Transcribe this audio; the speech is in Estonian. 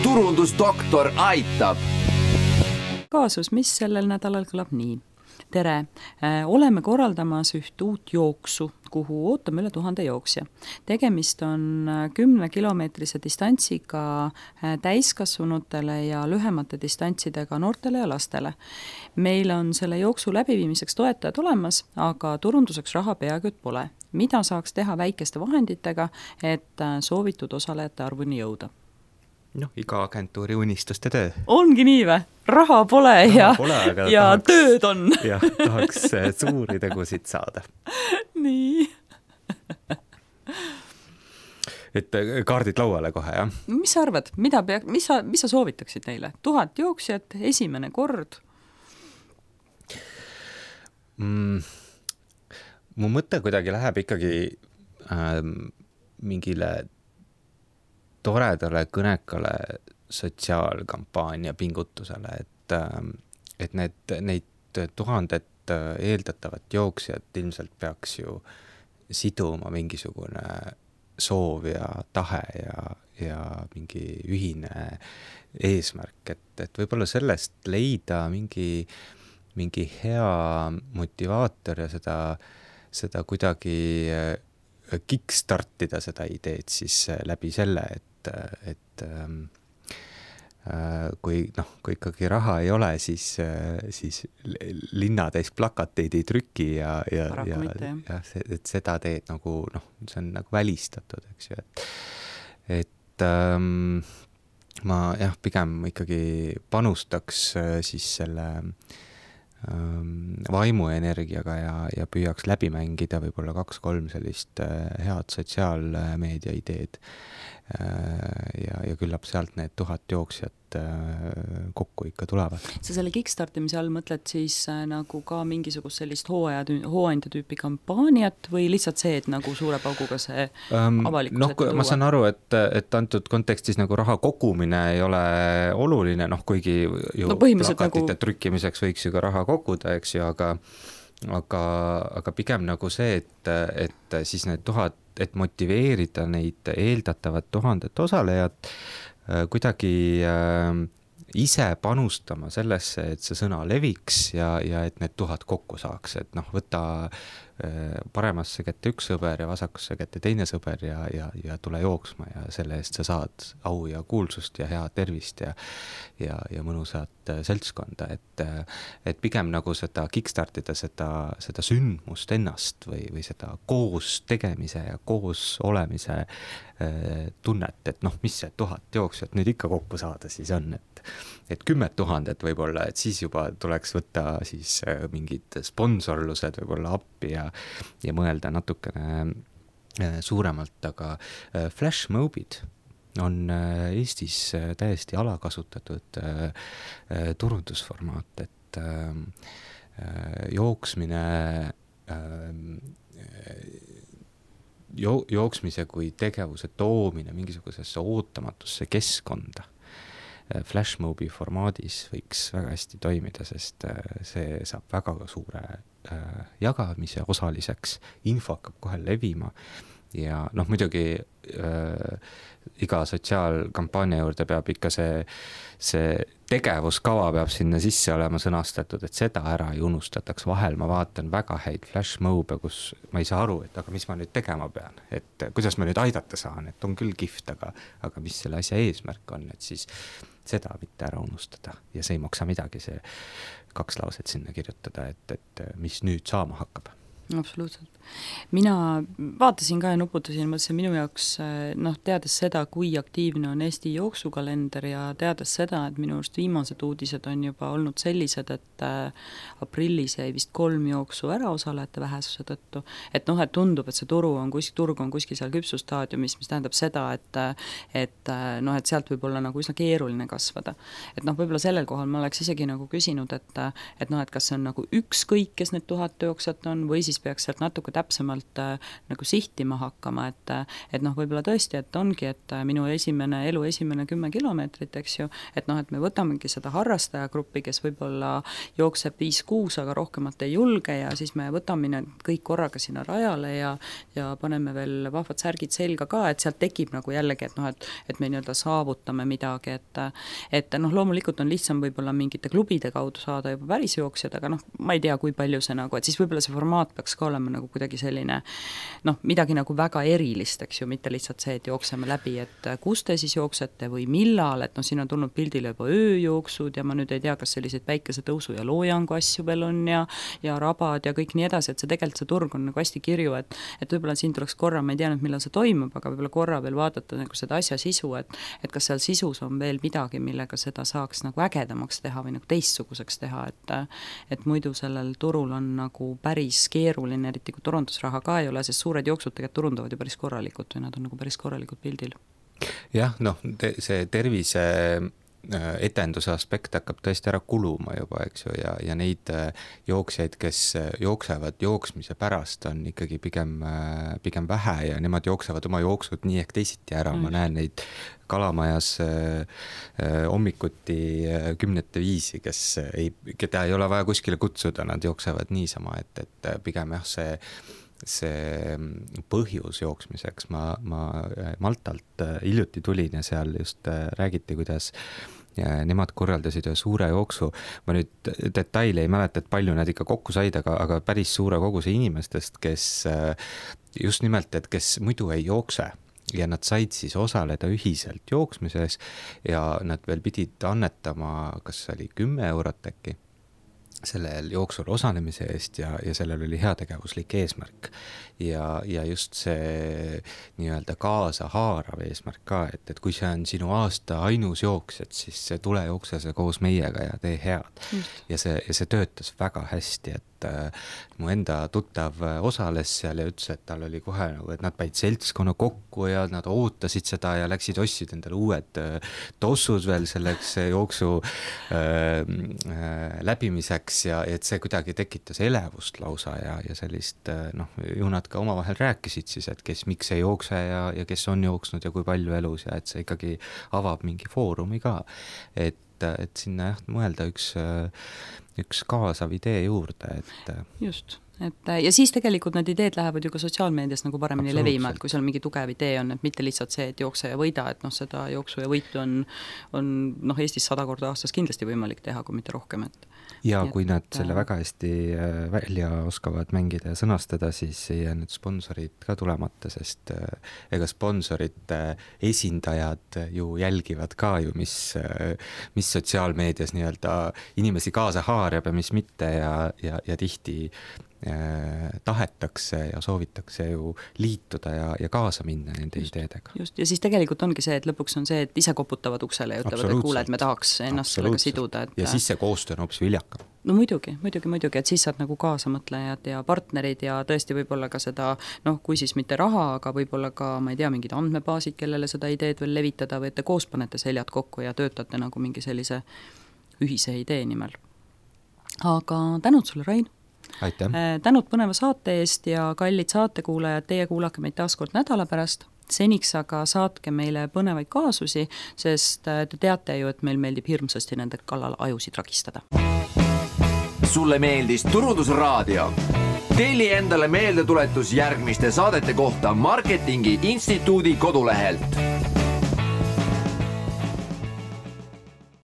turundusdoktor aitab. Kaasus, mis sellel nädalal kõlab nii. Tere, oleme korraldamas üht uut jooksu, kuhu ootame üle 1000 jooksja. Tegemist on 10-kilomeetrise distantsiga täiskasvanutele ja lühemate distantsidega noortele ja lastele. Meil on selle jooksu läbiviimiseks toetajad olemas, aga turunduseks raha peaaegu et pole. Mida saaks teha väikeste vahenditega, et soovitud osalejate arvuni jõuda? Iga agentuuri unistuste töö. Ongi nii või? Raha pole ja tahaks, tööd on. Jah, tahaks suuri tegusid saada. Nii. Et kaardid lauale kohe, jah? Mis sa arvad? Mis sa soovitaksid neile? 1000 jooksjat, esimene kord? Mu mõte kuidagi läheb ikkagi mingile toredale kõnekale sotsiaalkampaania pingutusele, et neid 1000 eeldatavat jooksjat ilmselt peaks ju siduma mingisugune soov ja tahe ja mingi ühine eesmärk, et võib-olla sellest leida mingi hea motivaator ja seda kuidagi kickstartida seda ideed siis läbi selle, et kui ikkagi raha ei ole, siis linnatäis plakateid ei trüki ja et seda teed nagu, see on nagu välistatud, eks ju, et ma pigem ikkagi panustaks siis selle vaimuenergiaga ja püüaks läbi mängida võib-olla 2-3 sellist head sotsiaalmeedia ideed ja küllap sealt need 1000 jooksjat kokku ikka tulevad. Sa selle kickstartimise all mõtled siis nagu ka mingisugust sellist hooandja tüüpi kampaaniat või lihtsalt see, et nagu suure pauguga see avalikkus ette tuua? Ma saan aru, et antud kontekstis nagu raha kogumine ei ole oluline, kuigi ju plakatite trükkimiseks võiks ju ka raha koguda, eks ju, aga pigem nagu see, et siis need 1000, et motiveerida neid eeldatavat 1000 osalejat kuidagi ise panustama sellesse, et see sõna leviks ja et need 1000 kokku saaks, et võta paremasse kätte üks sõber ja vasakusse kätte teine sõber ja tule jooksma ja selle eest sa saad au ja kuulsust ja head tervist ja mõnusat seltskonda, et pigem nagu seda kickstartida seda sündmust ennast või seda koos tegemise ja koos olemise tunnet, et mis see 1000 jooksjat nüüd ikka kokku saada siis on, et 10 000 võib-olla, et siis juba tuleks võtta siis mingid sponsorlused võib-olla appi ja mõelda natukene suuremalt, aga flashmobid on Eestis täiesti alakasutatud turundusformaat, et jooksmise kui tegevuse toomine mingisugusesse ootamatusse keskkonda flashmobi formaadis võiks väga hästi toimida, sest see saab väga suure jagamise osaliseks, info hakkab kohe levima ja muidugi iga sotsiaalkampaania juurde peab ikka see tegevuskava peab sinna sisse olema sõnastatud, et seda ära ei unustataks. Vahel ma vaatan väga häid flashmobe, kus ma ei saa aru, et aga mis ma nüüd tegema pean, et kuidas ma nüüd aidata saan, et on küll kihvt, aga mis selle asja eesmärk on, et siis seda mitte ära unustada ja see ei maksa midagi, see 2 lauset sinna kirjutada, et mis nüüd saama hakkab. Absoluutselt. Mina vaatasin ka ja nuputasin, mõtlesin minu jaoks, teades seda, kui aktiivne on Eesti jooksukalender ja teades seda, et minu arust viimased uudised on juba olnud sellised, et aprillis jäi vist 3 jooksu ära osalejate vähesuse tõttu, et tundub, et see turg on kuskil seal küpsustaadiumis, mis tähendab seda, et sealt võib olla nagu üsna keeruline kasvada. Et võib-olla sellel kohal ma oleks isegi nagu küsinud, et kas see on nagu ükskõik, kes need 1000 jooksjat on või siis siis peaks sealt natuke täpsemalt nagu sihtima hakkama, et noh, võib-olla tõesti, et ongi, et minu elu esimene 10 kilomeetrit, eks ju, et noh, et me võtamegi seda harrastajagruppi, kes võib-olla jookseb 5-6, aga rohkemat ei julge ja siis me võtame kõik korraga sinna rajale ja paneme veel vahvad särgid selga ka, et sealt tekib nagu jällegi, et noh, et me nii-öelda saavutame midagi, et noh, loomulikult on lihtsam võib-olla mingite klubide kaudu saada juba päris jooksjad, aga noh, ma ei tea, kui palju see nagu, et siis võib-olla see formaat peaks ka olema nagu kuidagi selline noh, midagi nagu väga erilist, eks ju, mitte lihtsalt see, et jookseme läbi, et kus te siis jooksete või millal, et noh, siin on tulnud pildile juba ööjooksud ja ma nüüd ei tea, kas selliseid päikesetõusu ja loojangu asju veel on ja rabad ja kõik nii edasi, et see tegelikult see turg on nagu hästi kirju, et võib-olla siin tuleks korra, ma ei tea nüüd, millal see toimub, aga võib-olla korra veel vaadata nagu seda asja sisu, et kas seal sisus on veel midagi, millega seda saaks nagu ägedamaks teha või nagu teistsuguseks teha, et muidu sellel turul on nagu päris keeruline, eriti kui turundusraha ka ei ole, sest suured jooksud tegelikult turundavad ju päris korralikult või nad on nagu päris korralikult pildil. Jah, noh, see tervise etenduse aspekt hakkab tõesti ära kuluma juba, eks ju, ja neid jooksjaid, kes jooksevad jooksmise pärast, on ikkagi pigem vähe ja nemad jooksevad oma jooksud nii ehk teisiti ära, ma näen neid Kalamajas hommikuti 10 viisi, keda ei ole vaja kuskile kutsuda, nad jooksevad niisama, et pigem jah, see põhjus jooksmiseks, ma Maltalt hiljuti tulin ja seal just räägiti, kuidas nemad korraldasid ühe suure jooksu, ma nüüd detaili ei mäleta, et palju nad ikka kokku said, aga päris suure koguse inimestest, kes just nimelt, et kes muidu ei jookse ja nad said siis osaleda ühiselt jooksmises ja nad veel pidid annetama, kas oli 10 eurot äkki sellel jooksul osalemise eest ja sellel oli heategevuslik eesmärk ja just see nii-öelda kaasa haarav eesmärk ka, et kui see on sinu aasta ainus jooks, et siis tule jookse see koos meiega ja tee head. Ja see töötas väga hästi, et mu enda tuttav osales seal ja ütles, et tal oli kohe nagu, et nad päid seltskonna kokku ja nad ootasid seda ja läksid ostsid endale uued tossud veel selleks jooksu läbimiseks ja et see kuidagi tekitas elevust lausa ja sellist, noh, ju nad ka omavahel rääkisid siis, et kes miks ei jookse ja kes on jooksnud ja kui palju elus ja et see ikkagi avab mingi foorumi ka, et sinna jah, mõelda üks kaasav idee juurde, et just, ja siis tegelikult need ideed lähevad ju ka sotsiaalmeedias nagu paremini levima, et kui seal mingi tugev idee on, et mitte lihtsalt see, et jookse ja võida, et noh, seda jooksu ja võitu on noh, Eestis 100 korda aastas kindlasti võimalik teha, kui mitte rohkem, ja kui nad selle väga hästi välja oskavad mängida ja sõnastada, siis ei jää need sponsorid ka tulemata, sest ega sponsorite esindajad ju jälgivad ka ju, mis sotsiaalmeedias nii-öelda inimesi kaasa haarab ja mis mitte ja tihti tahetakse ja soovitakse ju liituda ja kaasa minna nende ideedega. Just, ja siis tegelikult ongi see, et lõpuks on see, et ise koputavad uksele ja ütlevad, et kuule, et me tahaks ennast sellega siduda. Ja siis see koostöö on hoopis viljakam. No muidugi, et siis saad nagu kaasamõtlejad ja partnerid ja tõesti võib-olla ka seda, noh, kui siis mitte raha, aga võib-olla ka, ma ei tea, mingid andmebaasid, kellele seda ideed veel levitada või et te koos panete seljad kokku ja töötate nagu mingi sellise ühise idee nimel. Aga tänud sulle, Rain! Aitäh. Tänud põneva saate eest ja kallid saatekuulajad, teie kuulake meid taaskord nädala pärast. Seniks aga saatke meile põnevaid kaasusi, sest te teate ju, et meil meeldib hirmsasti nende kallal ajusid ragistada. Sulle meeldis Turundusraadio? Telli endale meeldetuletus järgmiste saadete kohta Marketingi Instituudi kodulehelt.